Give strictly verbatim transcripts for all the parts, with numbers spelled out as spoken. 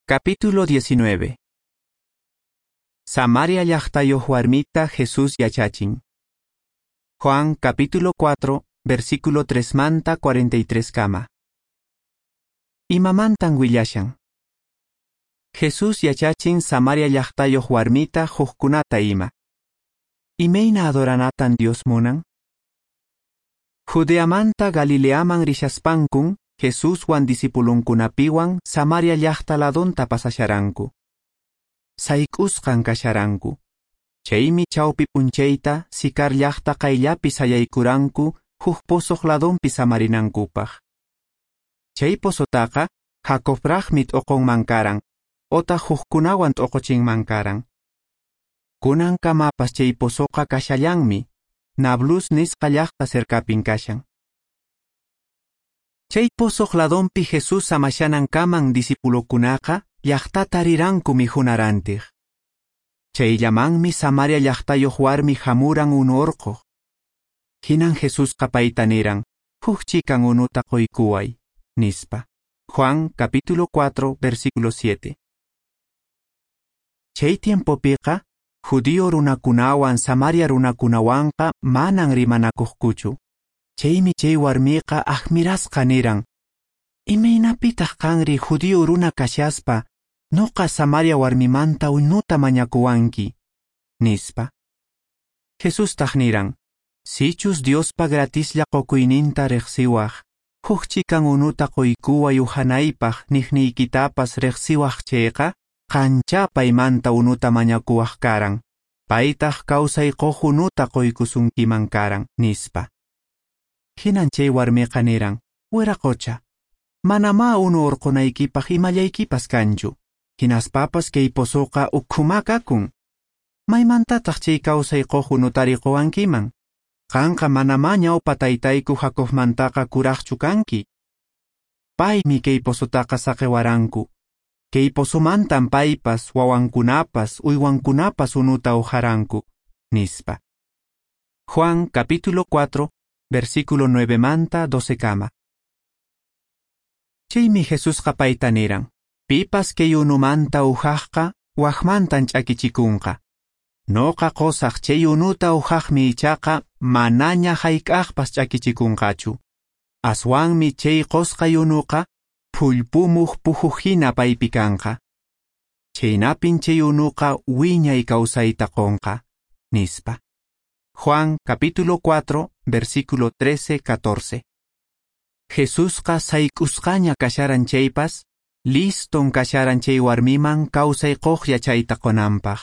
Capítulo diecinueve. Samaria llaqtayuq warmita Jesús yachachin. Juan capítulo cuatro, versículo tres manta cuarenta y tres kama. Imamantan willashan. Jesús yachachin Samaria llaqtayuq warmita hukkunata ima. Imayna adoranatan Dios munan? Judeamanta Galileaman rishaspankun, Jesuswan discipulunkunapiwan Samaria llaqta ladonta pasasharanku. Sayk'usqan kasharanku. Chaymi chawpi p'unchayta Sicar llaqta qayllapi sayaykuranku huk pozoq ladonpi samarinankupaq. Chay pozotaqa Jacobraqmi t'uqunman karan, otaq hukkunawan t'uquchinman karan. Kunankamapas chay pozoqa kashallanmi, Nablus nisqa llaqta cercapin kashan. Chay pozoq ladonpi Jesús samashanankaman discipulokunaqa llaqtata riranku mikhunarantij. Chayllamanmi Samaria llaqtayuq warmi hamuran unu urquq. Hinan Jesusqa payta niran, huk chikan unuta quykuway, nispa. Juan capítulo cuatro, versículo siete. Chay tiempopiqa, judío runakunawan Samaria runakunawanqa manan rimanakuqkuchu. Chaymi chay warmiqa admirasqa niran, imaynapitaq qanri judío runa kashaspa, noqa Samaria warmimanta unuta mañakuwanki, nispa. Jesustaq niran, sichus Diospa gratislla qukuyninta riqsiwaq, huk chikan unuta quykuway uhanaypaq niqniykitapas riqsiwaq chayqa, qancha paymanta unuta mañakuwaq karan, paytaq kawsay quq unuta quykusunkiman karan, nispa. Hinan chay warmiqa niran, wiraqocha, manamá unu urqunaykipaq imallaykipas kanchu, hinaspapas kay pozoqa ukhumá kakun. Maymantataq chay kawsay quq unutari quwankiman? Qanqa manamá ñawpa taytayku Jacobmantaqa kuraqchu kanki. Paymi kay pozotaqa saqiwaranku. Kay pozomantan paypas, wawankunapas, uywankunapas unuta uharanku, nispa. Juan capítulo cuatro, versículo nueve manta doce kama. Chaymi Jesusqa payta niran, pipas kay unumanta uhaqqa, waqmantan ch'akichikunqa. Noqa qusaq chay unuta uhaqmi ichaqa manaña hayk'aqpas ch'akichikunqachu. Aswanmi chay qusqay unuqa phullpumuq puhuq hina paypi kanqa. Chaynapin chay unuqa wiñay kawsayta qunqa, nispa. Juan capítulo cuatro, versículo trece, catorce. Jesusqa sayk'usqaña kasharan chaypas, liston kasharan chay warmiman kawsay quq yachayta qunanpaq.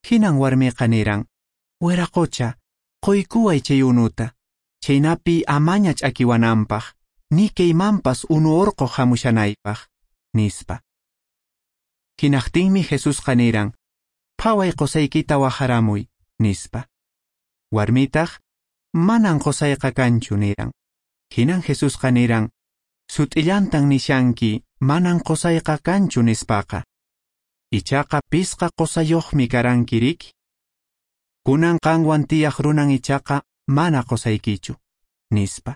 Hinan warmiqa niran, wiraqocha, quykuway chay unuta, chaynapi amaña ch'akiwananpaq, ni kaymanpas unu urquq hamushanaypaq, nispa. Hinaqtinmi Jesusqa niran, phaway qusaykita waqharamuy, nispa. Warmitaq, manan qusayqa kanchu, niran. Hinan Jesusqa niran, sut'illantan nishanki, manan qusayqa kanchu nispaqa. Ichaqa pisqa qusayuqmi karanki riki. Kunan qanwan tiyaq runan ichaqa mana qusaykichu, nispa.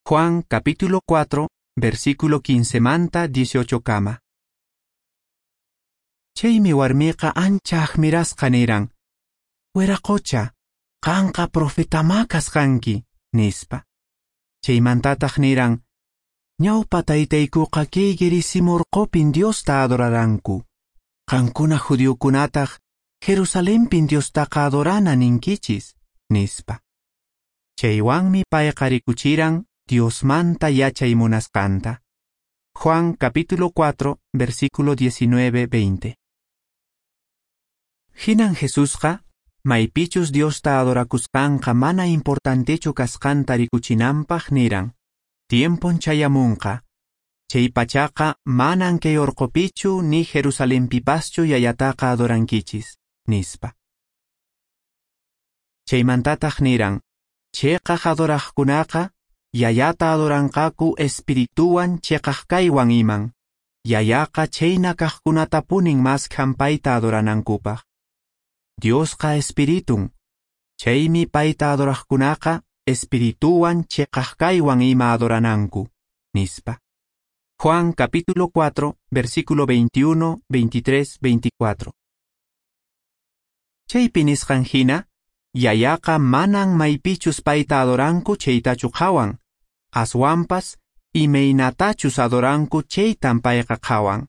Juan capítulo cuatro, versículo quince manta dieciocho kama. Chaymi warmiqa ancha admirasqa niran, wiraqocha, qanqa profetamá kasqanki, nispa. Chaymantataq niran, ñawpa taytaykuqa kay Gerizim urqupin Diosta adoraranku. Qankuna judiokunataq Jerusalenpin Diostaqa adorana ninkichis, nispa. Chaywanmi payqa rikuchiran Diosmanta yachay munasqanta. Juan capítulo cuatro, versículo diecinueve, veinte. Hinan Jesusqa, maypichus Diosta adorakusqanqa mana importantechu kasqanta rikuchinanpaq niran, tiempon chayamunqa, chay pachaqa manan kay urqupichu ni Jerusalenpipaschu yayataqa adorankichis, nispa. Chaymantataq niran, chiqaq adoraqkunaqa yayata adoranqaku espirituwan chiqaq kaywan iman, yayaqa chayna kaqkunatapunin maskhan payta adoranankupaq. Diosqa espiritun, chaymi payta adoraqkunaqa espirituwan chiqaq kaywan ima adorananku, nispa. Juan capítulo cuatro, versículo veintiuno, veintitrés, veinticuatro. Chaypi nisqan hina, Yayaqa manan maypichus payta adoranku chaytachu qhawan, aswanpas imaynatachus adoranku chaytan payqa qhawan.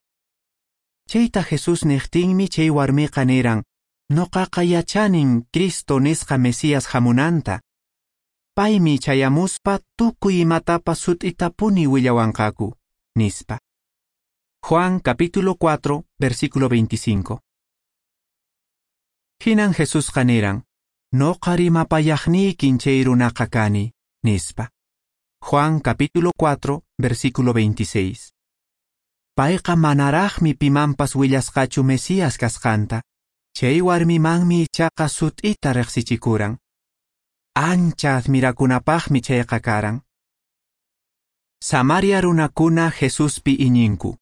Chayta Jesús niqtinmi chay warmiqa niran, noqaqa yachanin Cristo nisqa Mesías hamunanta. Paymi chayamuspa tukuy imatapas sut'itapuni willawanqaku, nispa. Juan capítulo cuatro, versículo veinticinco. Hinan Jesusqa niran, noqa rimapayaqniykin chay runaqa kani, nispa. Juan capítulo cuatro, versículo veintiséis. Payqa manaraqmi pimanpas willasqachu Mesías kasqanta, chay warmimanmi ichaqa sut'ita riqsichikuran. Ancha admirakunapaqmi chayqa karan. Samaria runakuna Jesuspi iñinku.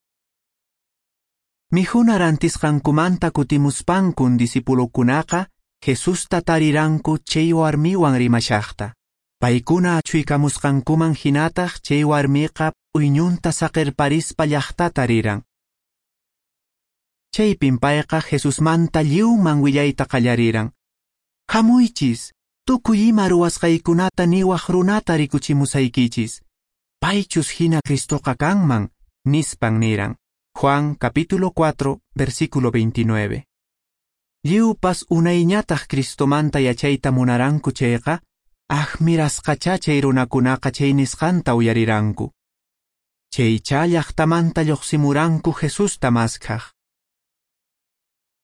Mikhuna rantisqankumanta kutimuspankun discipulokunaqa Jesusta tariranku chay warmiwan rimashaqta. Paykuna achuykamusqankuman hinataq chay warmiqa p'uyñunta saqirparispa llaqtata riran. Chaypin payqa Jesusmanta lliwman willayta qallariran. Hamuychis, tukuy ima ruwasqaykunata niwaq runata rikuchimusaykichis. Paychus hina Cristoqa kanman, nispan niran. Juan capítulo cuatro, versículo veintinueve. Lliwpas unayñataq Cristomanta yachayta munaranku chayqa, admirasqachá chay runakunaqa chay nisqanta uyariranku. Chaychá llaqtamanta lluqsimuranku Jesusta maskhaq.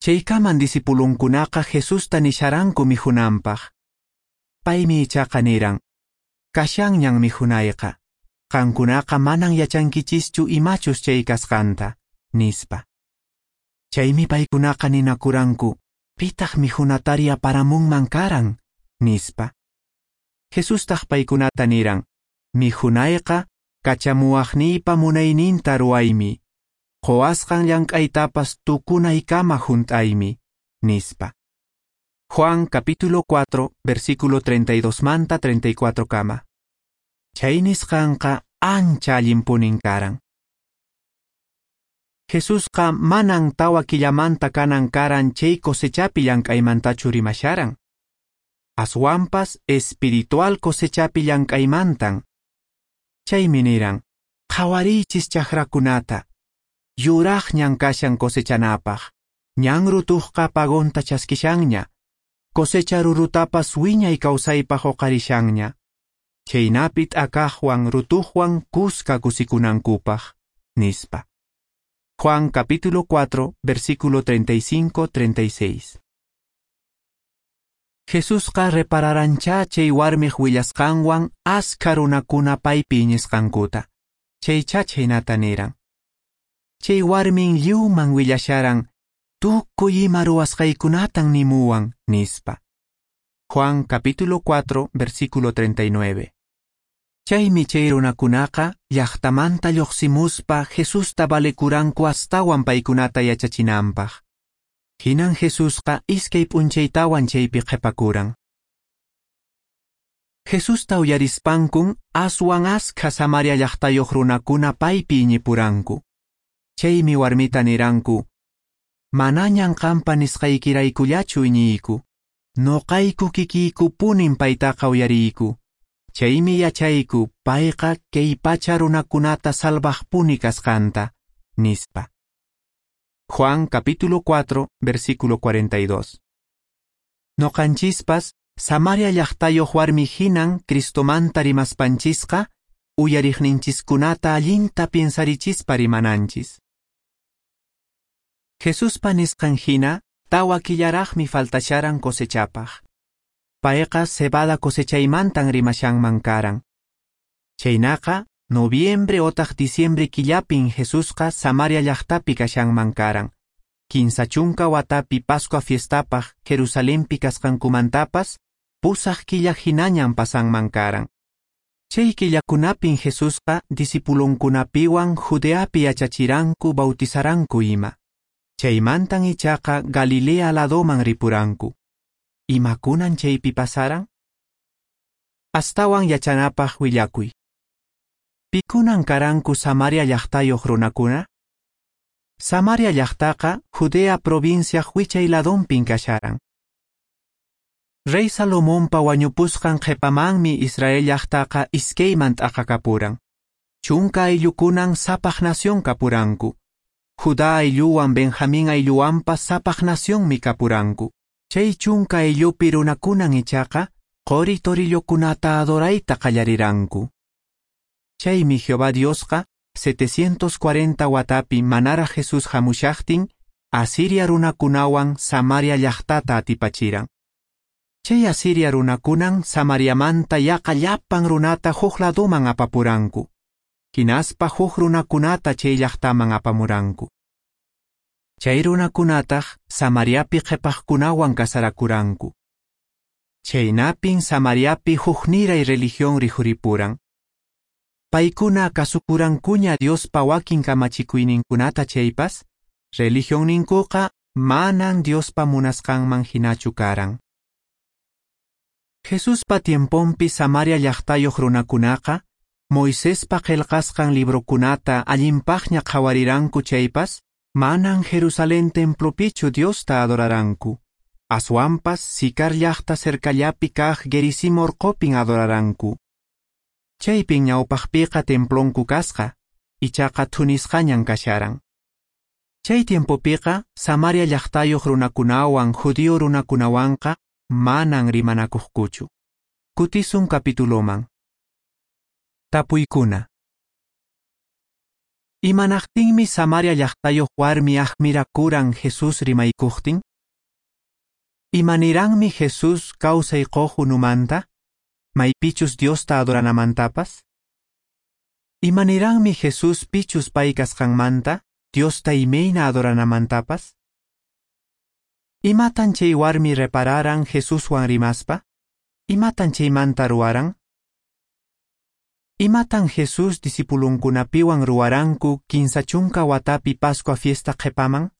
Chaykaman discipulunkunaqa Jesusta nisharanku mikhunanpaq. Paymi ichaqa niran, kashanñan mikhunayqa, qankunaqa manan yachankichischu imachus chay kasqanta, nispa. Chaymi paykunaqa ninakuranku, pitaq mikhunatari aparamunman karan, nispa. Jesustaq paykunata niran, mikhunayqa kachamuwaqniypa munayninta ruwaymi, quwasqan llank'aytapas tukunaykama hunt'aymi, nispa. Juan capítulo cuatro, versículo treinta y dos manta treinta y cuatro kama. Chay nisqanqa ancha allinpunin karan. Jesusqa manan tawa killamanta kanan karan chay cosechapi llank'aymantachu rimasharan. Aswanpas espiritual cosechapi llank'aymantan. Chaymi niran, qhawariychis chakrakunata, yuraqñan kashan cosechanapaq, ñan rutuqqa pagonta chaskishanña, cosecha rurutapas wiñay kawsaypaq uqarishanña. Chaynapi t'akaqwan rutuqwan kuska kusikunankupaq, nispa. Juan capítulo cuatro, versículo treinta y cinco, treinta y seis. Jesusqa repararanchá chay warmiq willasqanwan askha runakuna paypi iñisqankuta. Chaychá chhaynata niran. Chay warmin lliwman willasharan, tukuy ima ruwasqaykunatan nimuwan, nispa. Juan capítulo cuatro, versículo treinta y nueve. Chaymi chay runakunaqa llaqtamanta lluqsimuspa Jesusta valekuranku astawan paykunata yachachinanpaq. Hinan Jesusqa iskay p'unchaytawan chaypi qhipakuran. Jesusta uyarispankun aswan askha Samaria llaqtayuq runakuna paypi iñipuranku. Chaymi warmita niranku, manañan qampa nisqaykiraykullachu iñiyku, noqayku kikiykupunin paytaqa uyariyku. Chaymi yachayku payqa kay pacha runakunata salvaqpuni kasqanta, nispa. Juan capítulo cuatro, versículo cuarenta y dos. Noqanchispas, Samaria llaqtayuq warmi hinan Cristomanta rimaspanchisqa, uyariqninchiskunata allinta piensarichispa rimananchis. Jesuspa nisqan hina, tawa killaraqmi faltasharan cosechapaq. Payqa cebada cosechaymantan rimashanman karan. Chaynaqa, noviembre otaq diciembre killapin Jesusqa Samaria llaqtapi kashanman karan. Kinsa chunka watapi Pascua fiestapaq Jerusalenpi kasqankumantapas, pusaq killa hinañan pasanman karan. Chay killakunapin Jesusqa discipulonkunapiwan Judeapi yachachiranku bautizaranku ima. Chaymantan ichaqa Galilea ladoman ripuranku. Imakunan chaypi pasaran? Astawan yachanapaq willakuy. Pikunan karanku Samaria llaqtayuq runakuna? Samaria llaqtaqa Judea provinciaq wichay ladonpin kasharan. Rey Salomonpa wañupusqan qhipamanmi Israel llaqtaqa iskayman t'aqakapuran. Chunka ayllukunan sapaq nación kapuranku. Judá aylluwan Benjamín aylluwanpas sapaq nacionmi kapuranku. Chay chunka ayllupi runakunan ichaqa qori torillokunata adorayta qallariranku. Chaymi Jehová Diosqa setecientos cuarenta watapi manaraq Jesús hamushaqtin Asiria runakunawan Samaria llaqtata atipachiran. Chay Asiria runakunan Samariamanta yaqa llapan runata huk laduman apapuranku. Hinaspa huk runakunata chay llaqtaman apamuranku. Chay runakunataq Samariapi qhipaqkunawan kasarakuranku. Chaynapin Samariapi hukniray religión rikhuripuran. Paykuna kasukurankuña Diospa wakin kamachikuyninkunata chaypas, religionninkuqa manan Diospa munasqanman hinachu karan. Jesuspa tiemponpi Samaria llaqtayuq runakunaqa, Moisespa qillqasqan librokunata allinpaqña qhawariranku chaypas, manan Jerusalén templopichu Diosta adoraranku. Aswanpas Sicar llaqta cercallapi kaq Gerizim orqopin adoraranku. Chaypin ñawpaqpiqa templonku kasqa, ichaqa thunisqañan kasharan. Chay tiempopiqa Samaria llaqtayuq runakunawan judío runakunawanqa manan rimanakuqkuchu. Kutisun capituloman. Tapuykuna. Imanaqtinmi Samaria llaqtayuq warmi admirakuran Jesús rimaykuqtin? Imaniranmi Jesús kawsay quq unumanta? Maypichus Diosta adoranamantapas? Imaniranmi Jesús pichus pay kasqanmanta, Diosta imayna adoranamantapas? Imatan chay warmi repararan Jesuswan rimaspa? Imatan chaymanta ruwaran? Imatan Jesús discipulunkunapiwan ruwaranku kinsa chunka watapi Pascua fiesta qhipaman?